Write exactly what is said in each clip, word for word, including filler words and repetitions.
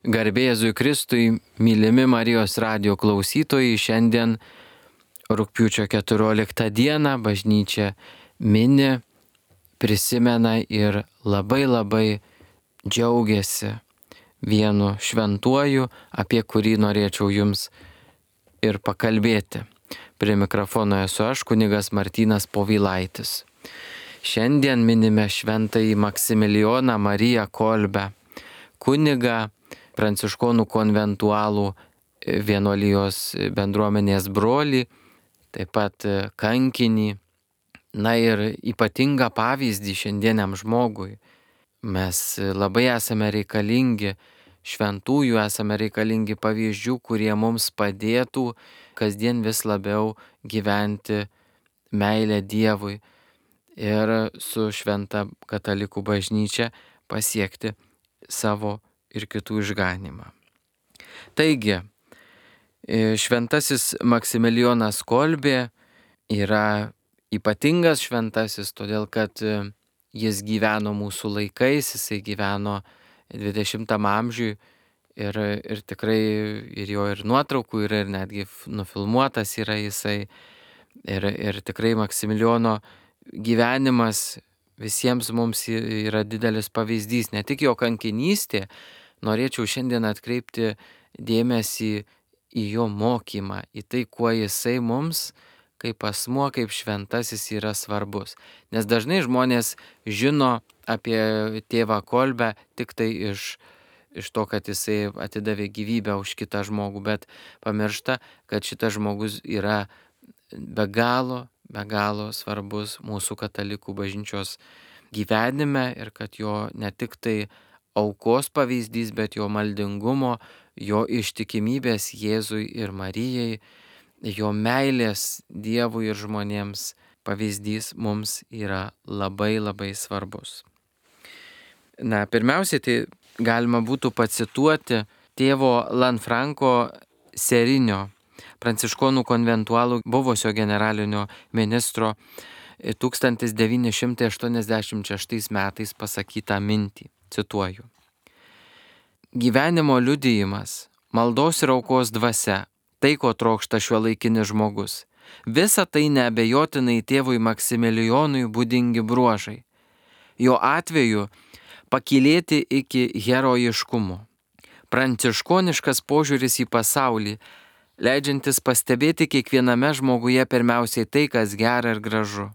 Garbė Jėzui Kristui, mylimi Marijos radijo klausytojai, šiandien rugpjūčio keturioliktą dieną bažnyčia mini, prisimena ir labai labai džiaugiasi vienu šventuoju, apie kurį norėčiau jums ir pakalbėti. Prie mikrofono esu aš, kunigas Martynas Povilaitis. Šiandien minime šventąjį Maksimilijoną Mariją Kolbę, kunigą, pranciškonų konventualų vienuolijos bendruomenės brolį, taip pat kankinį, na ir ypatingą pavyzdį šiandieniam žmogui. Mes labai esame reikalingi šventųjų, esame reikalingi pavyzdžių, kurie mums padėtų kasdien vis labiau gyventi meilę Dievui ir su šventa katalikų bažnyčia pasiekti savo ir kitų išganymą. Taigi, šventasis Maksimilijonas Kolbė yra ypatingas šventasis, todėl kad jis gyveno mūsų laikais, jisai gyveno dvidešimtam amžiui ir, ir tikrai ir jo ir nuotraukų yra, ir netgi nufilmuotas yra jisai. Ir, ir tikrai Maksimilijono gyvenimas visiems mums yra didelis pavyzdys, ne tik jo kankinystė. Norėčiau šiandien atkreipti dėmesį į jo mokymą, į tai, kuo jisai mums, kaip asmuo, kaip šventasis yra svarbus. Nes dažnai žmonės žino apie tėvą Kolbę tik tai iš, iš to, kad jisai atidavė gyvybę už kitą žmogų, bet pamiršta, kad šitas žmogus yra be galo, be galo svarbus mūsų katalikų bažnyčios gyvenime ir kad jo ne tik tai aukos pavyzdys, bet jo maldingumo, jo ištikimybės Jėzui ir Marijai, jo meilės Dievui ir žmonėms pavyzdys mums yra labai labai svarbus. Na, pirmiausiai tai galima būtų pacituoti tėvo Lanfranco Serinio, pranciškonų konventualų buvusio generalinio ministro tūkstantis devyni šimtai aštuoniasdešimt šeštais metais pasakytą mintį. Cituoju. Gyvenimo liudijimas, maldos ir aukos dvasia, tai ko trokšta šiuolaikinis žmogus. Visa tai neabejotinai tėvui Maksimilijonui būdingi bruožai. Jo atveju pakylėti iki herojiškumo. Pranciškoniškas požiūris į pasaulį, leidžiantis pastebėti kiekviename žmoguje pirmiausiai tai, kas gera ir gražu.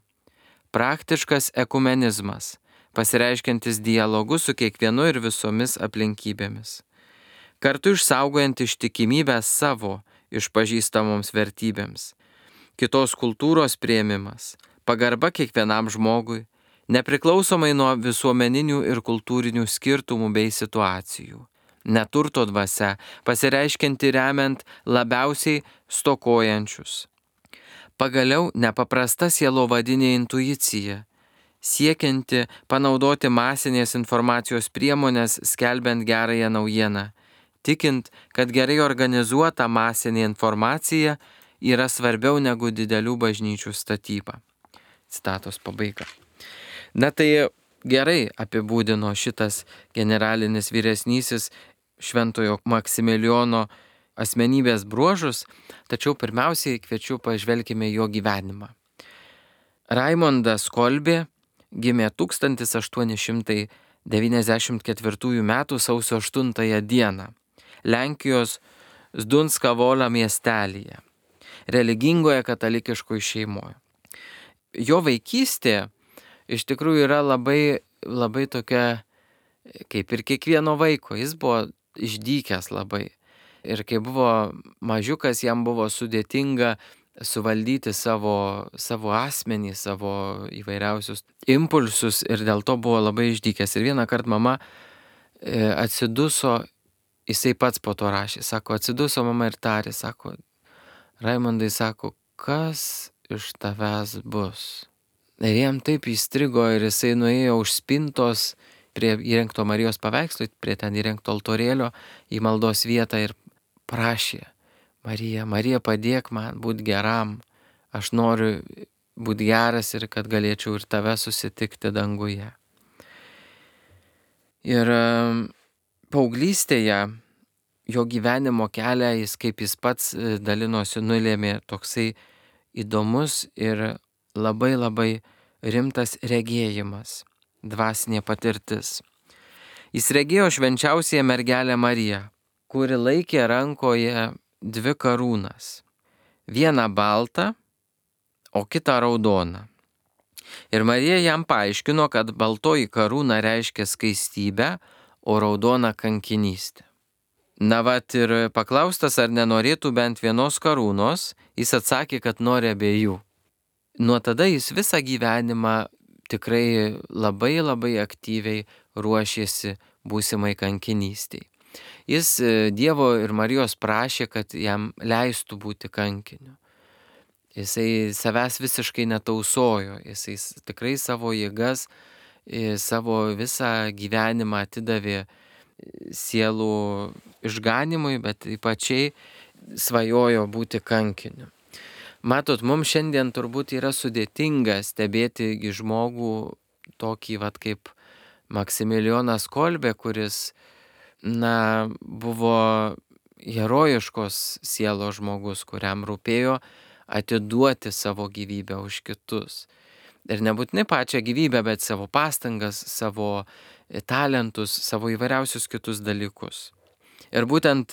Praktiškas ekumenizmas, pasireiškiantis dialogu su kiekvienu ir visomis aplinkybėmis. Kartu išsaugojant ištikimybę savo išpažįstamoms vertybėms. Kitos kultūros priėmimas, pagarba kiekvienam žmogui, nepriklausomai nuo visuomeninių ir kultūrinių skirtumų bei situacijų. Neturto dvasia, pasireiškianti remiant labiausiai stokojančius. Pagaliau nepaprasta sielovadinė intuicija, siekianti panaudoti masinės informacijos priemonės skelbiant gerąją naujieną, tikint, kad gerai organizuota masinė informacija yra svarbiau negu didelių bažnyčių statyba. Citatos pabaiga. Na tai gerai apibūdino šitas generalinis vyresnysis šventojo Maksimilijono asmenybės bruožus, tačiau pirmiausiai kviečiu pažvelkime jo gyvenimą. Raimondas Kolbė gimė tūkstantis aštuoni šimtai devyniasdešimt ketvirtųjų metų sausio aštuntąją dieną Lenkijos Zdunskavolio miestelyje, religingoje katalikiškoje šeimoje. Jo vaikystė iš tikrųjų yra labai, labai tokia, kaip ir kiekvieno vaiko, jis buvo išdykęs labai. Ir kai buvo mažiukas, jam buvo sudėtinga suvaldyti savo, savo asmenį, savo įvairiausius impulsus ir dėl to buvo labai išdykęs. Ir vieną kartą mama atsiduso, jisai pats po to rašė, sako, atsiduso mama ir tarė, sako, Raimondai, sako, kas iš tavęs bus? Ir jam taip įstrigo ir jisai nuėjo už spintos prie įrengto Marijos paveikslo, prie ten įrengto altorėlio į maldos vietą ir prašė, Marija, Marija, padėk man būti geram, aš noriu būti geras ir kad galėčiau ir tave susitikti danguje. Ir paauglystėje jo gyvenimo kelią jis, kaip jis pats dalinosi, nulėmė toksai įdomus ir labai labai rimtas regėjimas, dvasinė patirtis. Jis regėjo švenčiausiąją mergelę Mariją, kuri laikė rankoje dvi karūnas. Vieną baltą, o kitą raudoną. Ir Marija jam paaiškino, kad baltoji karūna reiškia skaistybę, o raudona kankinystę. Na vat ir paklaustas, ar nenorėtų bent vienos karūnos, jis atsakė, kad nori abiejų. Nuo tada jis visą gyvenimą tikrai labai labai aktyviai ruošėsi būsimai kankinystiai. Jis Dievo ir Marijos prašė, kad jam leistų būti kankiniu. Jisai savęs visiškai netausojo, jisai tikrai savo jėgas, savo visą gyvenimą atidavė sielų išganimui, bet ypačiai svajojo būti kankiniu. Matot, mums šiandien turbūt yra sudėtinga stebėti žmogų tokį vat kaip Maksimilijonas Kolbė, kuris, na, buvo herojiškos sielos žmogus, kuriam rūpėjo atiduoti savo gyvybę už kitus. Ir nebūtinai pačią gyvybę, bet savo pastangas, savo talentus, savo įvairiausius kitus dalykus. Ir būtent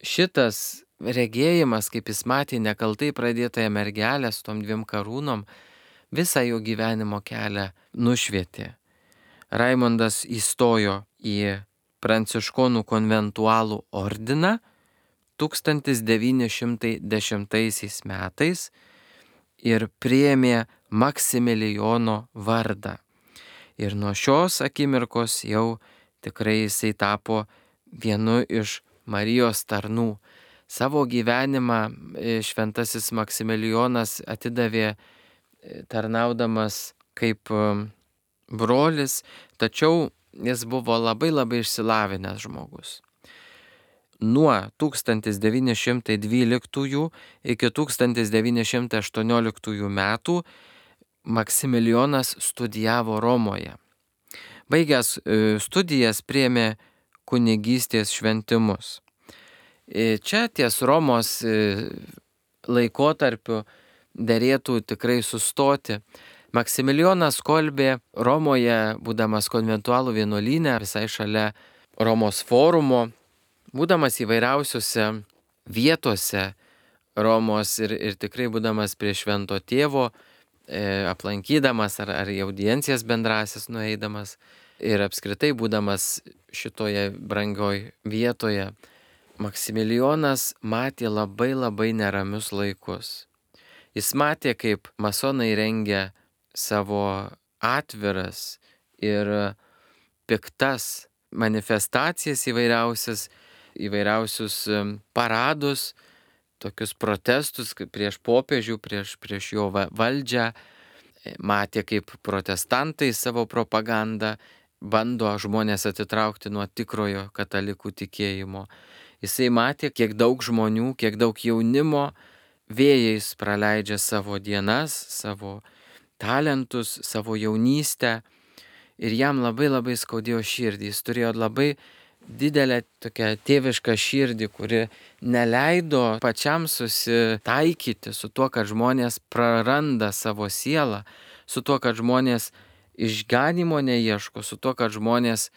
šitas regėjimas, kaip jis matė nekaltai pradėtąją mergelę su tom dviem karūnom, visą jo gyvenimo kelią nušvietė. Raimondas įstojo į Pranciškonų konventualų ordiną tūkstantis devyni šimtai dešimtaisiais metais ir priėmė Maksimilijono vardą. Ir nuo šios akimirkos jau tikrai jisai tapo vienu iš Marijos tarnų. Savo gyvenimą šventasis Maksimilijonas atidavė tarnaudamas kaip brolis, tačiau jis buvo labai labai išsilavinęs žmogus. Nuo tūkstantis devyni šimtai dvyliktųjų iki tūkstantis devyni šimtai aštuonioliktųjų metų Maksimilijonas studijavo Romoje. Baigęs studijas priėmė kunigystės šventimus. Čia ties Romos laikotarpiu derėtų tikrai sustoti. Maksimilijonas Kolbė Romoje, būdamas konventualų vienuolyne, visai šalia Romos forumo, būdamas įvairiausiuose vietose Romos ir, ir tikrai būdamas prie Švento Tėvo, e, aplankydamas ar, ar į audiencijas bendrasis nueidamas ir apskritai būdamas šitoje brangioj vietoje, Maksimilijonas matė labai labai neramius laikus. Jis matė, kaip masonai rengia savo atviras ir piktas manifestacijas įvairiausias, įvairiausius paradus, tokius protestus prieš popiežių, prieš, prieš jo valdžią. Matė, kaip protestantai savo propagandą bando žmonės atitraukti nuo tikrojo katalikų tikėjimo. Jisai matė, kiek daug žmonių, kiek daug jaunimo vėjais praleidžia savo dienas, savo talentus, savo jaunystę. Ir jam labai labai skaudėjo širdį. Jis turėjo labai didelę tokią tėvišką širdį, kuri neleido pačiam susitaikyti su tuo, kad žmonės praranda savo sielą, su tuo, kad žmonės išganimo neieško, su tuo, kad žmonės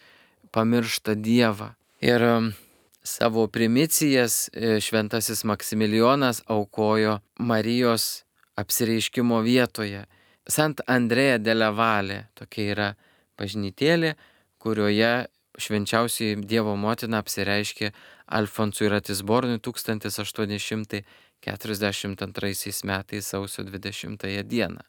pamiršta Dievą. Ir savo primicijas šventasis Maksimilijonas aukojo Marijos apsireiškimo vietoje. Sant Andrea della Valle, tokia yra bažnytėlė, kurioje švenčiausioji Dievo motina apsireiškė Alfonsui Ratisbonui tūkstantis aštuoni šimtai keturiasdešimt antraisiais metais sausio dvidešimtąją dieną.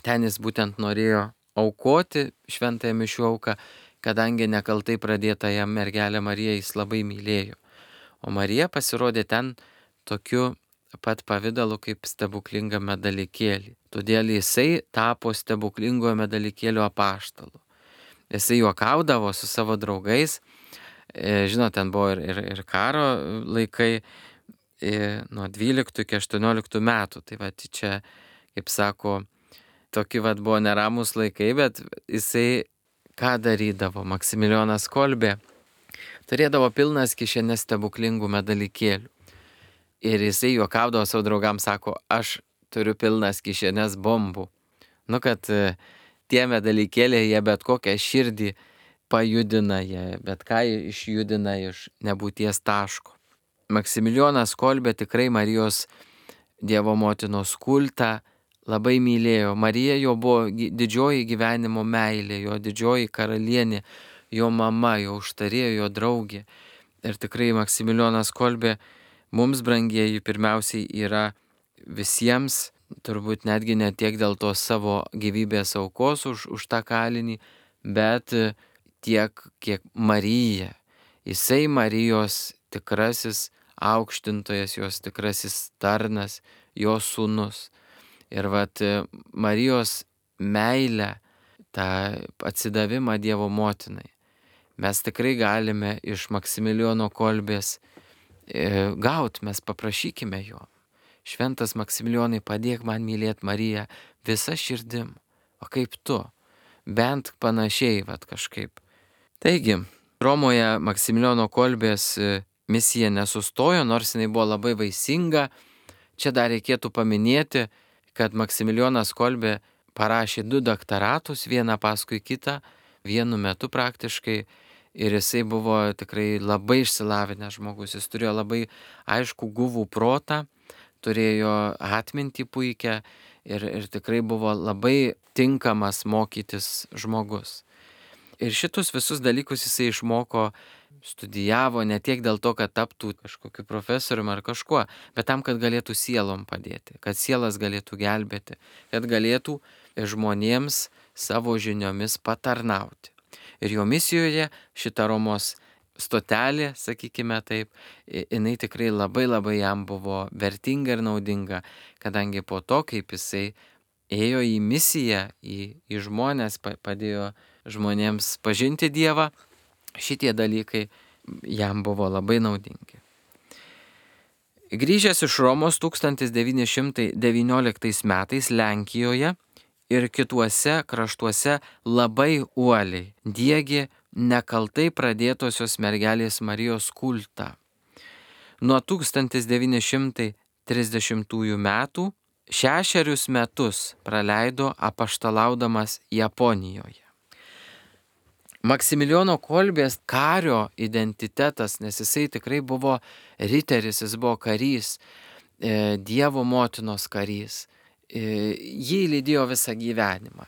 Ten jis būtent norėjo aukoti šventąją mišių auką, kadangi nekaltai pradėtąją mergelę Mariją jis labai mylėjo. O Marija pasirodė ten tokiu pat pavidalu kaip stebuklingame dalykėlį. Todėl jisai tapo stebuklingojo medalikėlio apaštalu. Jisai juokaudavo su savo draugais. Žinot, ten buvo ir, ir, ir karo laikai nuo dvyliktų iki aštuonioliktų metų. Tai va, čia, kaip sako, tokie va buvo neramus laikai, bet jisai ką darydavo Maksimilijonas Kolbė? turėdavo pilnas kišenės stebuklingų medalikėlių. Ir jisai juokaudavo savo draugams, sako, aš turiu pilnas kišenės bombų. Nu, kad e, tie medalikėliai, jie bet kokią širdį pajudina, jie bet ką išjudina iš nebūties taško. Maksimilijonas Kolbė tikrai Marijos Dievo motinos kultą labai mylėjo. Marija jo buvo didžioji gyvenimo meilė, jo didžioji karalienė, jo mama, jo užtarėjo, jo draugė. Ir tikrai Maksimilijonas Kolbė mums, brangieji, pirmiausiai yra visiems, turbūt netgi ne tiek dėl to savo gyvybės aukos už, už tą kalinį, bet tiek, kiek Marija. Jisai Marijos tikrasis aukštintojas, jos tikrasis tarnas, jos sūnus. Ir vat Marijos meilę, tą atsidavimą Dievo motinai mes tikrai galime iš Maksimilijono Kolbės e, gauti, mes paprašykime jo. Šventas Maksimilijonai, padėk man mylėti Mariją visą širdim, o kaip tu, bent panašiai, vat kažkaip. Taigi, Romoje Maksimilijono Kolbės misija nesustojo, nors jinai buvo labai vaisinga. Čia dar reikėtų paminėti, kad Maksimilijonas Kolbė parašė du daktaratus, vieną paskui kitą, vienu metu praktiškai, ir jisai buvo tikrai labai išsilavinęs žmogus. Jis turėjo labai aišku guvų protą, turėjo atmintį puikią ir, ir tikrai buvo labai tinkamas mokytis žmogus. Ir šitus visus dalykus jisai išmoko, studijavo ne tiek dėl to, kad taptų kažkokiu profesoriumi ar kažkuo, bet tam, kad galėtų sielom padėti, kad sielas galėtų gelbėti, kad galėtų žmonėms savo žiniomis patarnauti. Ir jo misijoje šita Romos stotelė, sakykime taip, jinai tikrai labai labai jam buvo vertinga ir naudinga, kadangi po to, kaip jisai ėjo į misiją, į, į žmonės, padėjo žmonėms pažinti Dievą, šitie dalykai jam buvo labai naudingi. Grįžęs iš Romos tūkstantis devyni šimtai devynioliktais metais Lenkijoje ir kituose kraštuose labai uoliai diegė nekaltai pradėtosios mergelės Marijos kultą. Nuo tūkstantis devyni šimtai trisdešimtųjų metų šešerius metus praleido apaštalaudamas Japonijoje. Maksimilijono Kolbės kario identitetas, nes jisai tikrai buvo riteris, jis buvo karys, e, Dievo motinos karys. E, jį lydėjo visą gyvenimą.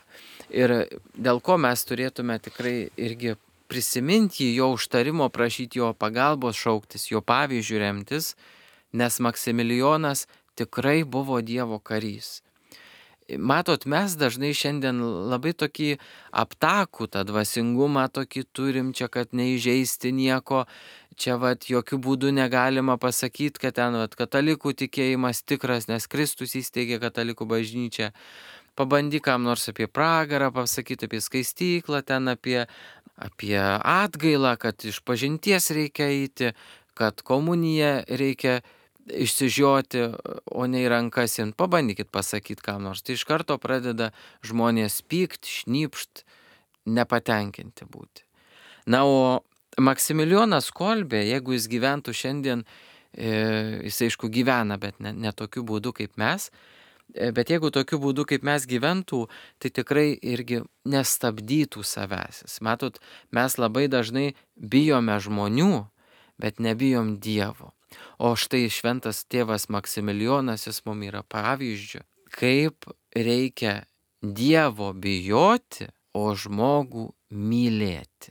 Ir dėl ko mes turėtume tikrai irgi prisiminti jo užtarimo, prašyti jo pagalbos, šauktis, jo pavyzdžių remtis, nes Maksimilijonas tikrai buvo Dievo karys. Matot, mes dažnai šiandien labai tokį aptakų tą dvasingumą tokį turim, čia kad neįžeisti nieko, čia vat jokių būdų negalima pasakyti, kad ten vat katalikų tikėjimas tikras, nes Kristus įsteigė katalikų bažnyčią. Pabandyk kam nors apie pragarą pasakyti, apie skaistyklą, ten apie, apie atgailą, kad iš pažinties reikia eiti, kad komuniją reikia išsižioti, o ne į rankas jin. Pabandykit pasakyti kam nors. Tai iš karto pradeda žmonės pykt, šnypšt, nepatenkinti būti. Na, o Maksimilijonas Kolbė, jeigu jis gyventų šiandien, e, jis aišku gyvena, bet ne, ne tokiu būdu kaip mes, e, bet jeigu tokiu būdu kaip mes gyventų, tai tikrai irgi nestabdytų savęs. Matot, mes labai dažnai bijome žmonių, bet nebijom Dievo. O štai šventas tėvas Maksimilijonas, jis mums yra pavyzdžių, kaip reikia Dievo bijoti, o žmogų mylėti.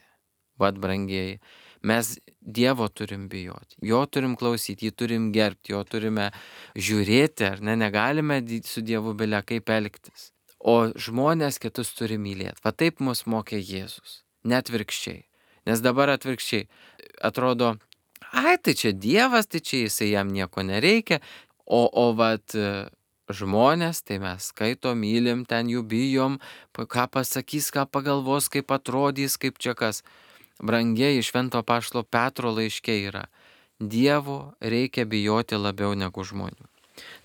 Vat, brangieji, mes Dievo turim bijoti, jo turim klausyti, jį turim gerbti, jo turime žiūrėti, ar ne, negalime su Dievu bile kaip elgtis. O žmonės kitus turi mylėti. Va taip mus mokė Jėzus, net atvirkščiai. Nes dabar atvirkščiai atrodo, ai, tai čia Dievas, tai čia jisai jam nieko nereikia, o, o vat žmonės, tai mes skaitom, mylim, ten jų bijom, ką pasakys, ką pagalvos, kaip atrodys, kaip čia kas. Brangieji, Švento apaštalo Petro laiške yra, Dievo reikia bijoti labiau negu žmonių.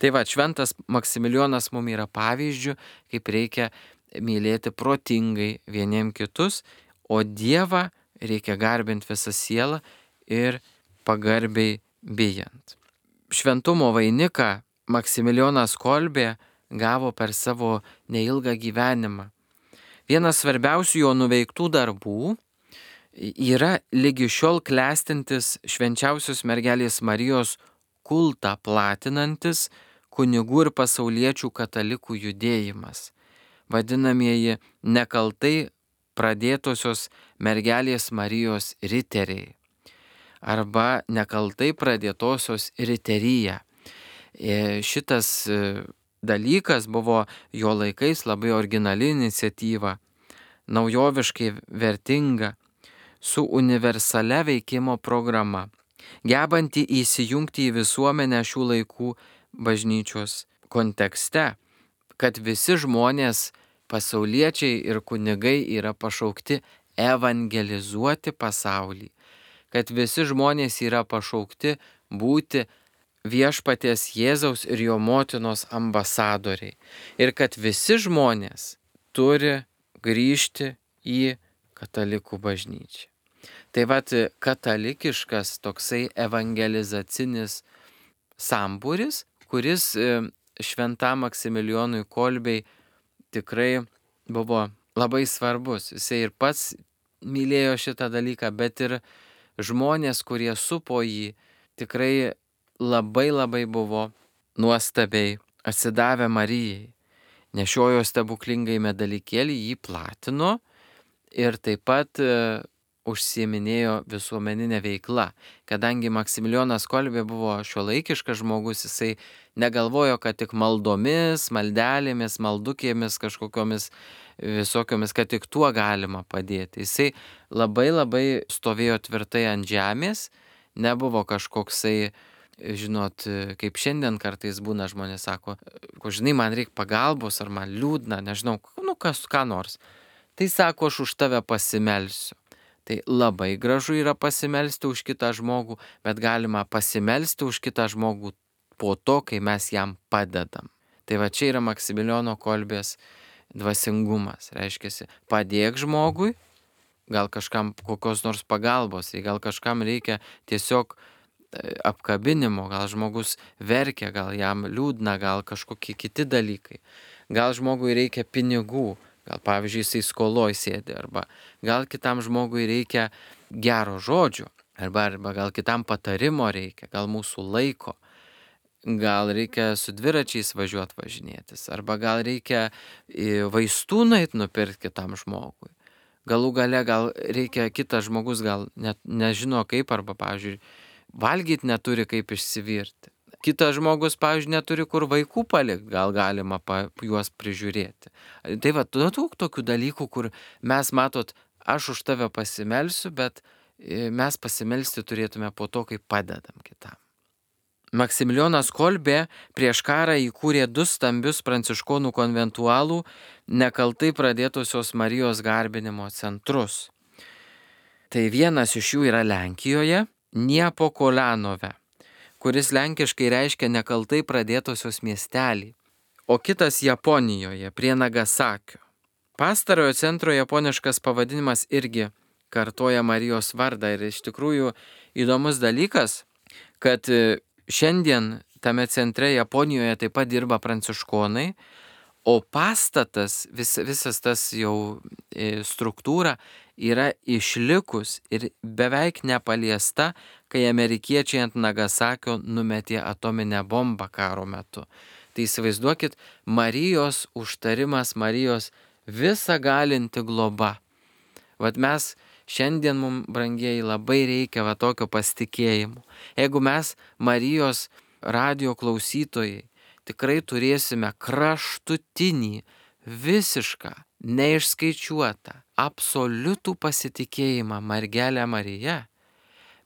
Tai va, šventas Maksimilijonas mums yra pavyzdžių, kaip reikia mylėti protingai vieniem kitus, o Dievą reikia garbinti visą sielą ir pagarbiai bijant. Šventumo vainiką Maksimilijonas Kolbė gavo per savo neilgą gyvenimą. Vienas svarbiausių jo nuveiktų darbų yra lygi šiol klestintis švenčiausios mergelės Marijos kultą platinantis kunigų ir pasauliečių katalikų judėjimas, vadinamieji nekaltai pradėtosios mergelės Marijos riteriai arba nekaltai pradėtosios riterija. Šitas dalykas buvo jo laikais labai originali iniciatyva, naujoviškai vertinga, su universalia veikimo programa, gebanti įsijungti į visuomenę šių laikų bažnyčios kontekste, kad visi žmonės, pasauliečiai ir kunigai yra pašaukti evangelizuoti pasaulį, kad visi žmonės yra pašaukti būti viešpaties Jėzaus ir jo motinos ambasadoriai ir kad visi žmonės turi grįžti į katalikų bažnyčią. Tai vat katalikiškas toksai evangelizacinis sambūris, kuris šventam Maksimilijonui Kolbei tikrai buvo labai svarbus. Jisai ir pats mylėjo šitą dalyką, bet ir žmonės, kurie supo jį, tikrai labai labai buvo nuostabiai atsidavę Marijai. Nešiojo stebuklingai medalikėlį, jį platino ir taip pat e, užsiiminėjo visuomeninę veiklą. Kadangi Maksimilijonas Kolbė buvo šiuolaikiškas žmogus, jisai negalvojo, kad tik maldomis, maldelėmis, maldukėmis, kažkokiomis visokiomis, kad tik tuo galima padėti. Jisai labai labai stovėjo tvirtai ant žemės, nebuvo kažkoksai, žinot, kaip šiandien kartais būna, žmonės sako, ko žinai, man reikia pagalbos, ar man liūdna, nežinau, nu kas, ką nors. Tai sako, aš už tave pasimelsiu. Tai labai gražu yra pasimelsti už kitą žmogų, bet galima pasimelsti už kitą žmogų po to, kai mes jam padedam. Tai va čia yra Maksimilijono Kolbės dvasingumas. Reiškia, padėk žmogui, gal kažkam kokios nors pagalbos, gal kažkam reikia tiesiog apkabinimo, gal žmogus verkia, gal jam liūdna, gal kažkokie kiti dalykai. Gal žmogui reikia pinigų, gal pavyzdžiui jisai skoloj sėdi, arba gal kitam žmogui reikia gero žodžio, arba, arba gal kitam patarimo reikia, gal mūsų laiko, gal reikia su dviračiais važiuoti važinėtis, arba gal reikia vaistų nueit nupirkti kitam žmogui. Galų gale gal reikia kitas žmogus, gal net nežino kaip, arba pavyzdžiui valgyti neturi kaip išsivirti. Kitas žmogus, pavyzdžiui, neturi kur vaikų palikti, gal galima pa, juos prižiūrėti. Tai va, daug tokių dalykų, kur mes, matot, aš už tave pasimelsiu, bet mes pasimelsti turėtume po to, kai padedam kitam. Maksimilijonas Kolbė prieš karą įkūrė du stambius pranciškonų konventualų nekaltai pradėtosios Marijos garbinimo centrus. Tai vienas iš jų yra Lenkijoje, Niepokolanove, kuris lenkiškai reiškia nekaltai pradėtosios miestelį, o kitas Japonijoje, prie Nagasakio. Pastarojo centro japoniškas pavadinimas irgi kartoja Marijos vardą ir iš tikrųjų įdomus dalykas, kad šiandien tame centre Japonijoje taip pat dirba pranciškonai, o pastatas, vis, visas tas jau struktūra yra išlikus ir beveik nepaliesta, kai amerikiečiai ant Nagasakio numetė atominę bombą karo metu. Tai įsivaizduokit, Marijos užtarimas, Marijos visa galinti globa. Vat mes šiandien mums, brangieji, labai reikia va tokio pasitikėjimo. Jeigu mes Marijos radijo klausytojai tikrai turėsime kraštutinį, visišką, neišskaičiuotą, absoliutų pasitikėjimą mergelę Mariją,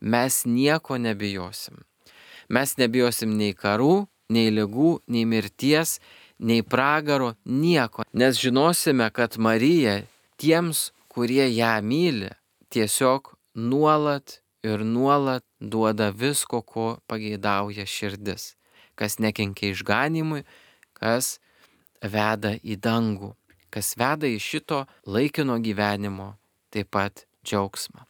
mes nieko nebijosim. Mes nebijosim nei karų, nei ligų, nei mirties, nei pragaro, nieko. Nes žinosime, kad Marija tiems, kurie ją myli, tiesiog nuolat ir nuolat duoda visko, ko pageidauja širdis. Kas nekenkia išganimui, kas veda į dangų, kas veda į šito laikino gyvenimo taip pat džiaugsmą.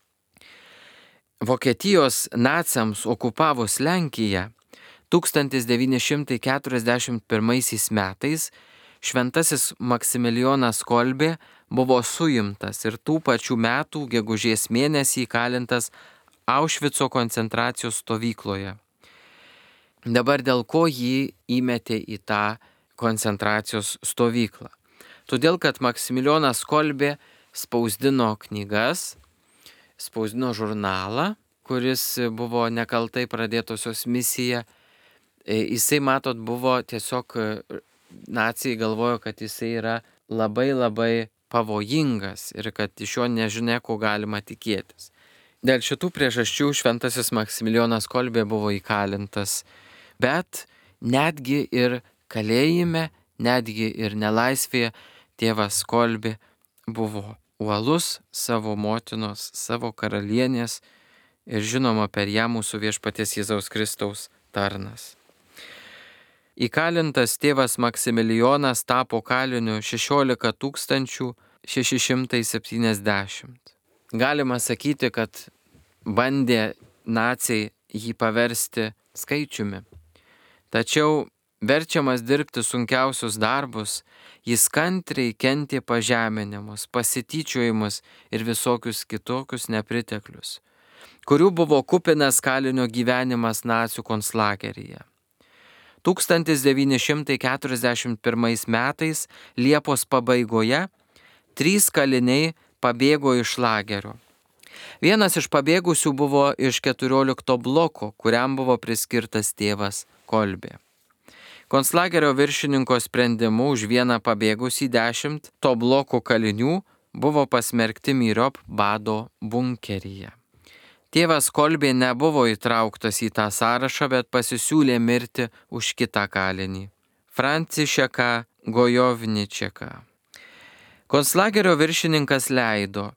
Vokietijos naciams okupavus Lenkiją tūkstantis devyni šimtai keturiasdešimt pirmaisiais metais šventasis Maksimilijonas Kolbė buvo suimtas ir tų pačių metų gegužės mėnesį įkalintas Aušvico koncentracijos stovykloje. Dabar dėl ko jį įmetė į tą koncentracijos stovyklą? Todėl, kad Maksimilijonas Kolbė spausdino knygas, spausdino žurnalą, kuris buvo nekaltai pradėtosios misija. Jisai, matot, buvo tiesiog, naciai galvojo, kad jisai yra labai labai pavojingas ir kad iš jo nežinia, ko galima tikėtis. Dėl šitų priežasčių šventasis Maksimilijonas Kolbė buvo įkalintas, bet netgi ir kalėjime, netgi ir nelaisvėje tėvas Kolbė buvo uolus savo motinos, savo karalienės ir žinoma per ją mūsų viešpaties Jėzaus Kristaus tarnas. Įkalintas tėvas Maksimilijonas tapo kaliniu šešiolika tūkstančių šeši šimtai septyniasdešimt. Galima sakyti, kad bandė naciai jį paversti skaičiumi. Tačiau verčiamas dirbti sunkiausius darbus, jis kantriai kentė pažeminimus, pasityčiojimus ir visokius kitokius nepriteklius, kurių buvo kupinas kalinio gyvenimas nacių konclageryje. tūkstantis devyni šimtai keturiasdešimt pirmais metais Liepos pabaigoje trys kaliniai pabėgo iš lagerio. Vienas iš pabėgusių buvo iš keturiolikto bloko, kuriam buvo priskirtas tėvas Kolbė. Konclagerio viršininko sprendimu už vieną pabėgusį dešimt to bloko kalinių buvo pasmerkti myriop bado bunkeryje. Tėvas Kolbė nebuvo įtrauktas į tą sąrašą, bet pasisiūlė mirti už kitą kalinį – Francišeką Gojovničeką. Konclagerio viršininkas leido.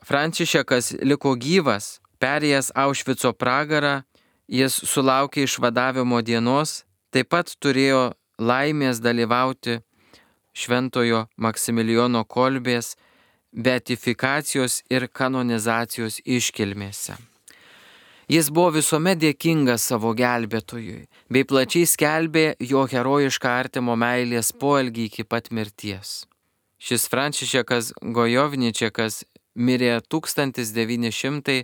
Francišekas liko gyvas, perėjęs Aušvico pragarą, jis sulaukė išvadavimo dienos, taip pat turėjo laimės dalyvauti šventojo Maksimilijono Kolbės beatifikacijos ir kanonizacijos iškilmėse. Jis buvo visuomet dėkingas savo gelbėtojui, bei plačiai skelbė jo herojišką artimo meilės poelgį iki pat mirties. Šis Francišekas Gojovničekas mirė tūkstantis devyni šimtai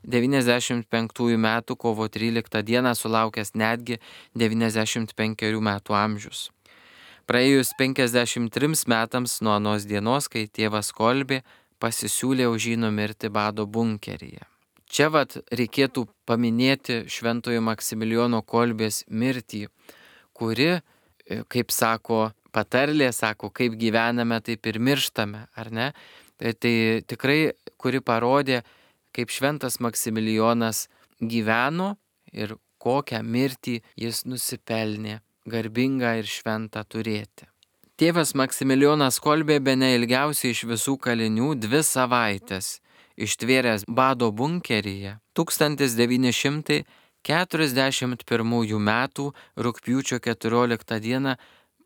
devyniasdešimt penktųjų metų kovo tryliktą dieną, sulaukęs netgi devyniasdešimt penkerių metų amžius. Praėjus penkiasdešimt trims metams nuo anos dienos, kai tėvas Kolbė pasisiūlė už jį numirti bado bunkeryje. Čia vat reikėtų paminėti šventojo Maksimilijono Kolbės mirtį, kuri, kaip sako patarlė, sako, kaip gyvename, taip ir mirštame, ar ne? Tai, tai tikrai, kuri parodė, kaip šventas Maksimilijonas gyveno ir kokią mirtį jis nusipelnė garbingą ir šventą turėti. Tėvas Maksimilijonas Kolbė bene ilgiausiai iš visų kalinių dvi savaitės ištvėręs bado bunkeryje tūkstantis devyni šimtai keturiasdešimt pirmųjų metų rugpjūčio keturioliktą dieną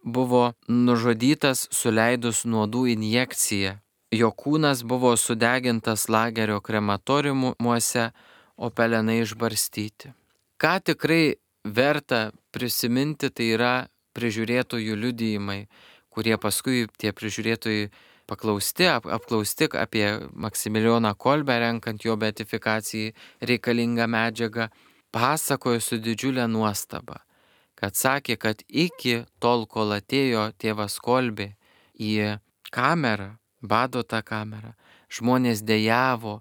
buvo nužudytas suleidus nuodų injekciją. Jo kūnas buvo sudegintas lagerio krematoriumuose, o pelenai išbarstyti. Ką tikrai verta prisiminti, tai yra prižiūrėtojų liudijimai, kurie paskui tie prižiūrėtojai paklausti, ap, apklausti apie Maksimilijoną Kolbę, renkant jo beatifikacijai reikalingą medžiagą, pasakojo su didžiulė nuostaba, kad sakė, kad iki tol, kol atėjo tėvas Kolbė į kamerą, bado tą kamerą, žmonės dejavo,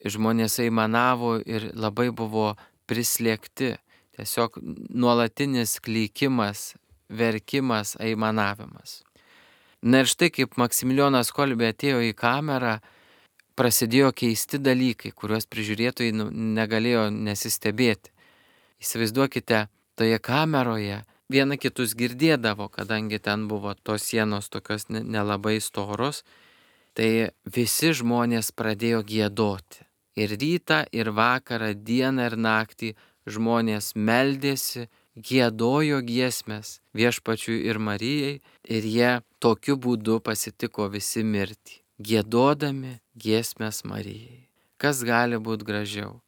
žmonės aimanavo ir labai buvo prislėgti. Tiesiog nuolatinis klykimas, verkimas, aimanavimas. Na ir štai kaip Maksimilijonas Kolbė atėjo į kamerą, prasidėjo keisti dalykai, kuriuos prižiūrėtojai negalėjo nesistebėti. Įsivaizduokite, toje kameroje viena kitus girdėdavo, kadangi ten buvo tos sienos tokios nelabai storos, tai visi žmonės pradėjo giedoti. Ir rytą, ir vakarą, dieną ir naktį žmonės meldėsi, giedojo giesmes Viešpačiui ir Marijai ir jie tokiu būdu pasitiko visi mirtį, giedodami giesmes Marijai. Kas gali būti gražiau?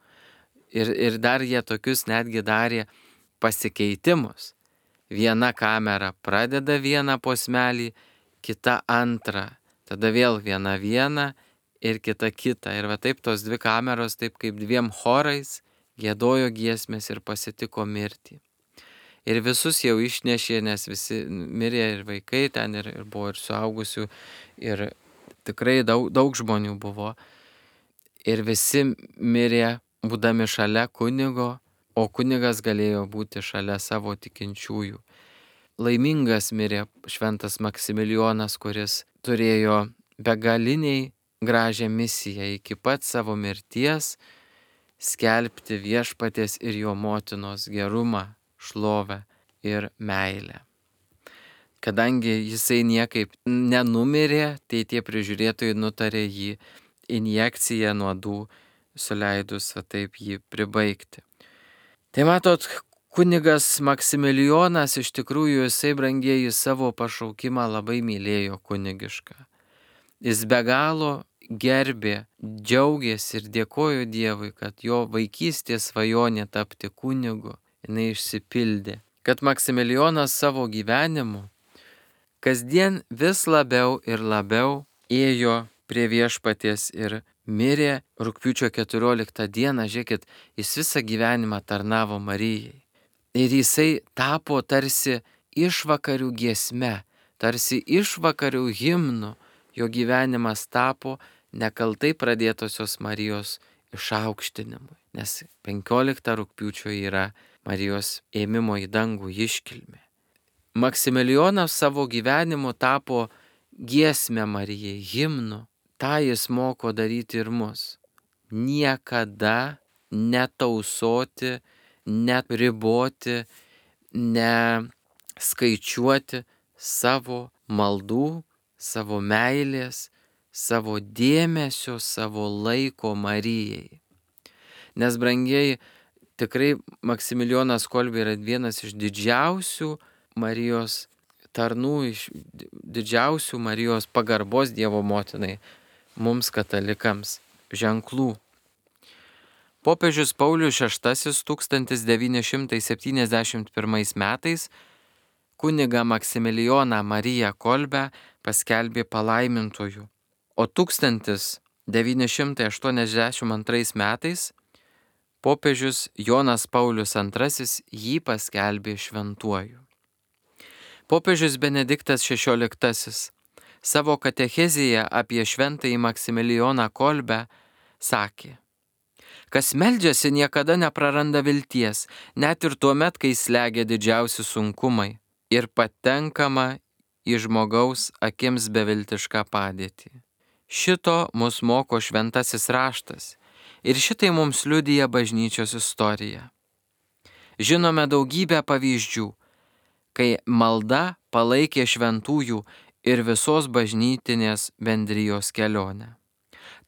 Ir, ir dar jie tokius netgi darė pasikeitimus. Viena kamera pradeda vieną posmelį, kita antrą, tada vėl viena viena ir kita kita. Ir va taip tos dvi kameros, taip kaip dviem chorais, giedojo giesmės ir pasitiko mirtį. Ir visus jau išnešė, nes visi mirė ir vaikai ten, ir, ir buvo ir suaugusių, ir tikrai daug, daug žmonių buvo. Ir visi mirė būdami šalia kunigo, o kunigas galėjo būti šalia savo tikinčiųjų. Laimingas mirė šventas Maksimilijonas, kuris turėjo begaliniai gražią misiją iki pat savo mirties skelbti viešpaties ir jo motinos gerumą, šlovę ir meilę. Kadangi jisai niekaip nenumirė, tai tie prižiūrėtojai nutarė jį injekciją nuodų suleidus, va taip jį pribaigti. Tai matot, kunigas Maksimilijonas iš tikrųjų jisai, brangieji, savo pašaukimą labai mylėjo kunigišką. Jis be galo gerbė, džiaugėsi ir dėkojo Dievui, kad jo vaikystės svajonė tapti kunigu, jinai išsipildė. Kad Maksimilijonas savo gyvenimu kasdien vis labiau ir labiau ėjo prie viešpaties ir mirė rugpjūčio keturioliktą dieną, žiūrėkit, jis visą gyvenimą tarnavo Marijai. Ir jisai tapo tarsi išvakarių giesme, tarsi išvakarių himnu, jo gyvenimas tapo nekaltai pradėtosios Marijos išaukštinimui, nes penkioliktą rugpjūčio yra Marijos ėmimo į dangų iškilmė. Maksimilijonas savo gyvenimu tapo giesmę Marijai, himnu. Ta jis moko daryti ir mus. Niekada netausoti, neriboti, neskaičiuoti savo maldų, savo meilės, savo dėmesio, savo laiko Marijai. Nes, brangieji, tikrai Maksimilijonas Kolbė yra vienas iš didžiausių Marijos tarnų, iš didžiausių Marijos pagarbos Dievo motinai, mums katalikams ženklų. Popiežius Paulius šeštasis tūkstantis devyni šimtai septyniasdešimt pirmais metais kunigą Maksimilijoną Mariją Kolbę paskelbė palaimintuoju, o tūkstantis devyni šimtai aštuoniasdešimt antrais metais popiežius Jonas Paulius antrasis jį paskelbė šventuoju. Popiežius Benediktas šešioliktasis savo katechezėje apie šventąjį Maksimilijoną Kolbę sakė: kas meldžiasi, niekada nepraranda vilties, net ir tuo met, kai slegia didžiausi sunkumai ir patenkama į žmogaus akims beviltišką padėtį. Šito mus moko šventasis raštas ir šitai mums liudija bažnyčios istorija. Žinome daugybę pavyzdžių, kai malda palaikė šventųjų ir visos bažnytinės bendrijos kelionę.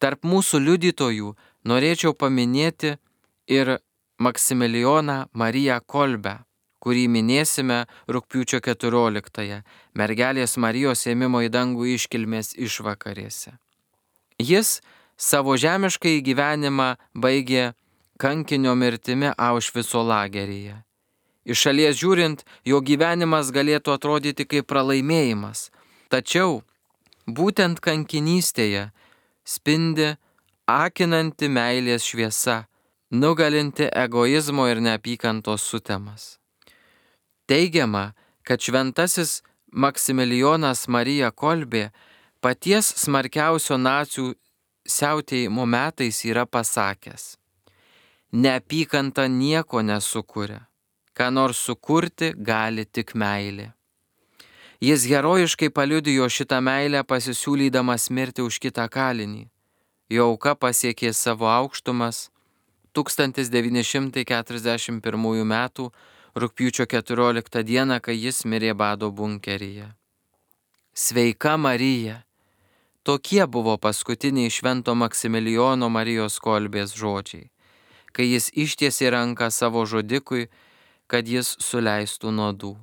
Tarp mūsų liudytojų norėčiau paminėti ir Maksimilijoną Mariją Kolbę, kurį minėsime rugpjūčio keturioliktąją, mergelės Marijos ėmimo į dangų iškilmės išvakarėse. Jis savo žemiškąjį gyvenimą baigė kankinio mirtimi Aušvico lageryje. Iš šalies žiūrint, jo gyvenimas galėtų atrodyti kaip pralaimėjimas, tačiau būtent kankinystėje spindi akinanti meilės šviesa, nugalinti egoizmo ir neapykantos sutemas. Teigiama, kad šventasis Maksimilijonas Marija Kolbė paties smarkiausio nacių siautėjimo metais yra pasakęs: neapykanta nieko nesukuria, ką nors sukurti gali tik meilė. Jis herojiškai paliudijo šitą meilę pasisiūlydamas mirti už kitą kalinį. Jo auka pasiekė savo aukštumas tūkstantis devyni šimtai keturiasdešimt pirmųjų metų rugpjūčio keturioliktą dieną, kai jis mirė bado bunkeryje. Sveika Marija! Tokie buvo paskutiniai švento Maksimilijono Marijos Kolbės žodžiai, kai jis ištiesė ranką savo žudikui, kad jis suleistų nuodų.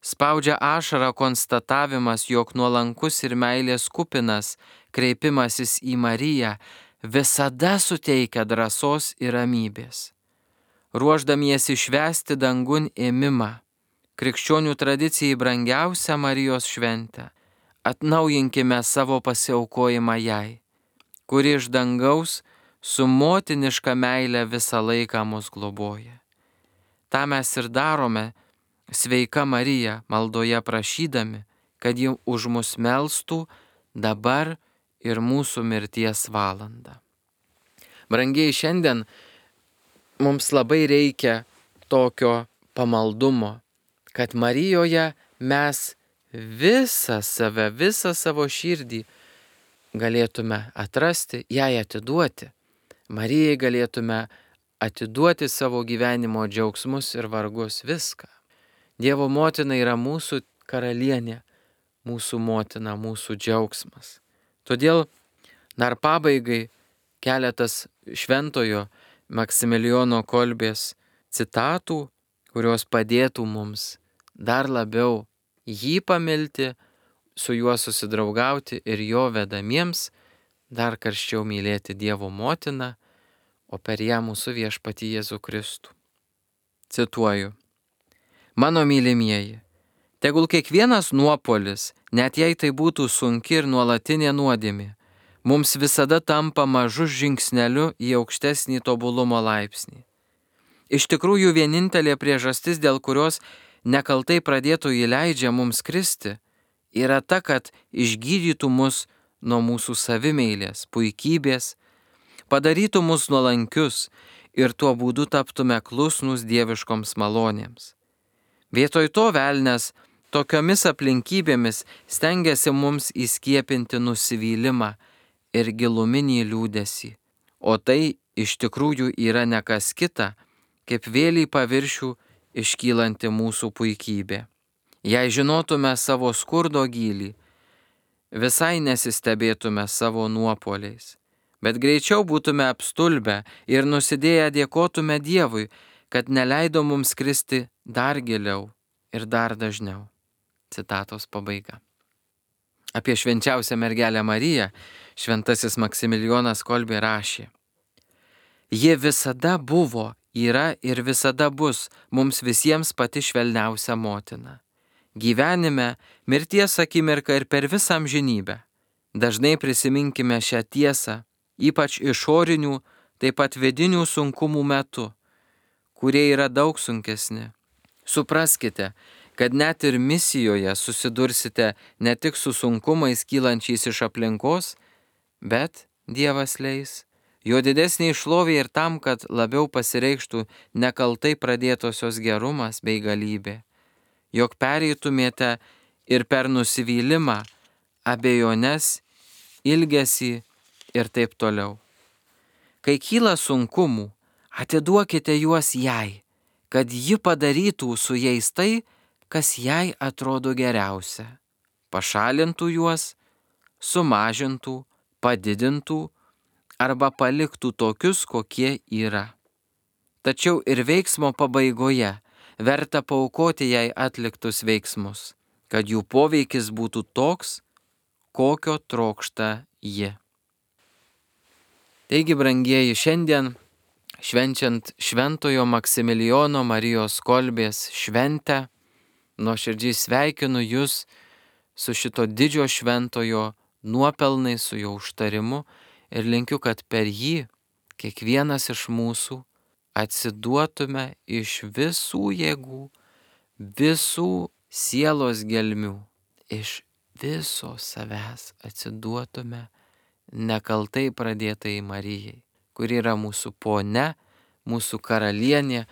Spaudžia ašarą konstatavimas, jog nuolankus ir meilės kupinas kreipimasis į Mariją visada suteikia drąsos ir ramybės. Ruoždamiesi švęsti dangun ėmimą, krikščionių tradicijai brangiausią Marijos šventę, atnaujinkime savo pasiaukojimą jai, kuri iš dangaus su motiniška meile visą laiką mus globoja. Ta mes ir darome, sveika Marija, maldoje prašydami, kad ji už mus melstų dabar ir mūsų mirties valandą. Brangiai, šiandien mums labai reikia tokio pamaldumo, kad Marijoje mes visą save, visą savo širdį galėtume atrasti, jai atiduoti. Marijai galėtume atiduoti savo gyvenimo džiaugsmus ir vargus, viską. Dievo motina yra mūsų karalienė, mūsų motina, mūsų džiaugsmas. Todėl dar pabaigai keletas šventojo Maksimilijono Kolbės citatų, kurios padėtų mums dar labiau jį pamilti, su juo susidraugauti ir jo vedamiems dar karščiau mylėti Dievo motiną, o per ją mūsų viešpatį Jėzų Kristų. Cituoju. Mano mylimieji, tegul kiekvienas nuopuolis, net jei tai būtų sunki ir nuolatinė nuodėmė, mums visada tampa mažu žingsneliu į aukštesnį tobulumo laipsnį. Iš tikrųjų, vienintelė priežastis, dėl kurios nekaltai pradėtojai leidžia mums kristi, yra ta, kad išgydytų mus nuo mūsų savimeilės, puikybės, padarytų mus nuolankius ir tuo būdu taptume klusnus dieviškoms malonėms. Vietoj to velnias tokiomis aplinkybėmis stengiasi mums įskiepinti nusivylimą ir giluminį liūdesį, o tai iš tikrųjų yra ne kas kita, kaip vėl į paviršių iškylanti mūsų puikybė. Jei žinotume savo skurdo gylį, visai nesistebėtume savo nuopuoliais, bet greičiau būtume apstulbę ir nusidėję dėkotume Dievui, kad neleido mums kristi dar giliau ir dar dažniau. Citatos pabaiga. Apie švenčiausią mergelę Mariją šventasis Maksimilijonas Kolbė rašė: Ji visada buvo, yra ir visada bus mums visiems pati švelniausia motina. Gyvenime, mirties akimirką ir per visą amžinybę. Dažnai prisiminkime šią tiesą, ypač išorinių, taip pat vidinių sunkumų metu, kurie yra daug sunkesni. Supraskite, kad net ir misijoje susidursite ne tik su sunkumais kylančiais iš aplinkos, bet Dievas leis jo didesnė šlovė ir tam, kad labiau pasireikštų nekaltai pradėtosios gerumas bei galybė, jog pereitumėte ir per nusivylimą, abejones, ilgesį ir taip toliau. Kai kyla sunkumų, atiduokite juos jai, kad ji padarytų su jais tai, kas jai atrodo geriausia. Pašalintų juos, sumažintų, padidintų arba paliktų tokius, kokie yra. Tačiau ir veiksmo pabaigoje verta paaukoti jai atliktus veiksmus, kad jų poveikis būtų toks, kokio trokšta ji. Taigi, brangieji, šiandien švenčiant šventojo Maksimilijono Marijos Kolbės šventę, nuoširdžiai sveikinu jūs su šito didžio šventojo nuopelnais, su jo užtarimu ir linkiu, kad per jį kiekvienas iš mūsų atsiduotume iš visų jėgų, visų sielos gelmių, iš viso savęs atsiduotume nekaltai pradėtai Marijai, kuri yra mūsų ponia, mūsų karalienė,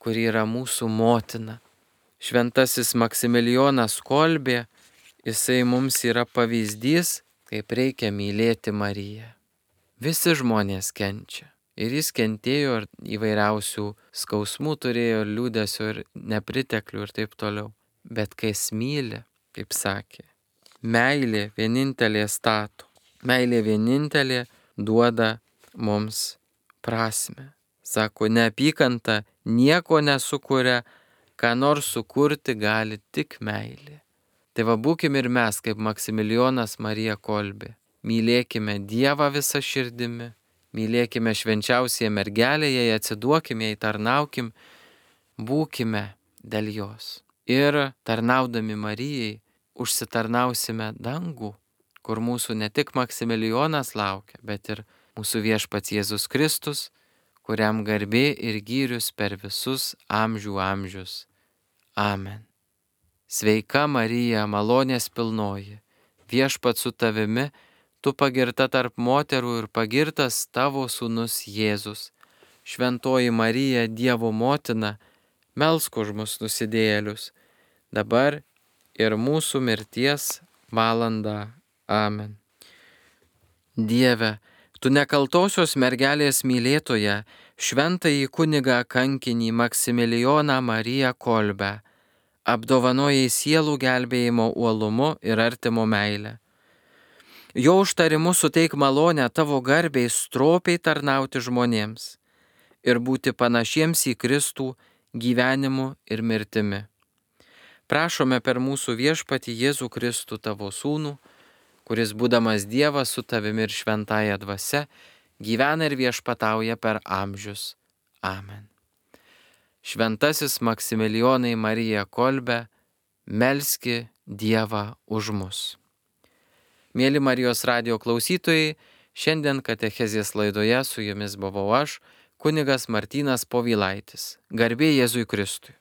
kuri yra mūsų motina. Šventasis Maksimilijonas Kolbė, jisai mums yra pavyzdys, kaip reikia mylėti Mariją. Visi žmonės kenčia. Ir jis kentėjo ir įvairiausių skausmų turėjo, liūdesio ir nepriteklių ir taip toliau. Bet kai jis myli, kaip sakė, meilė vienintelė stato. Meilė vienintelė duoda mums prasmę. Sako, neapykanta nieko nesukuria, ką nors sukurti gali tik meilė. Tai va būkim ir mes, kaip Maksimilijonas Marija Kolbė. mylėkime Dievą visą širdimi, mylėkime švenčiausiąją mergelę, jai atsiduokime, jai tarnaukim, būkime dėl jos. Ir tarnaudami Marijai užsitarnausime dangų, kur mūsų ne tik Maksimilijonas laukia, bet ir mūsų viešpats Jėzus Kristus, kuriam garbė ir gyrius per visus amžių amžius. Amen. Sveika Marija, malonės pilnoji, viešpats su tavimi, tu pagirta tarp moterų ir pagirtas tavo sūnus Jėzus. Šventoji Marija, Dievo motina, melsk už mus nusidėjėlius, dabar ir mūsų mirties valandą. Amen. Dieve, tu nekaltosios mergelės mylėtoja, šventąjį kunigą kankinį Maksimilijoną Mariją Kolbę, apdovanojai sielų gelbėjimo uolumu ir artimo meilę. Jo užtarimu suteik malonę tavo garbei stropiai tarnauti žmonėms ir būti panašiems į Kristų gyvenimu ir mirtimi. Prašome per mūsų viešpatį Jėzų Kristų tavo sūnų, kuris būdamas Dievas su tavimi ir šventąja dvasia, gyvena ir viešpatauja per amžius. Amen. Šventasis Maksimilijonai Marija Kolbe, melski Dievą už mus. Mėly Marijos radijo klausytojai, šiandien katechezės laidoje su jumis buvau aš, kunigas Martynas Povilaitis. Garbė Jėzui Kristui.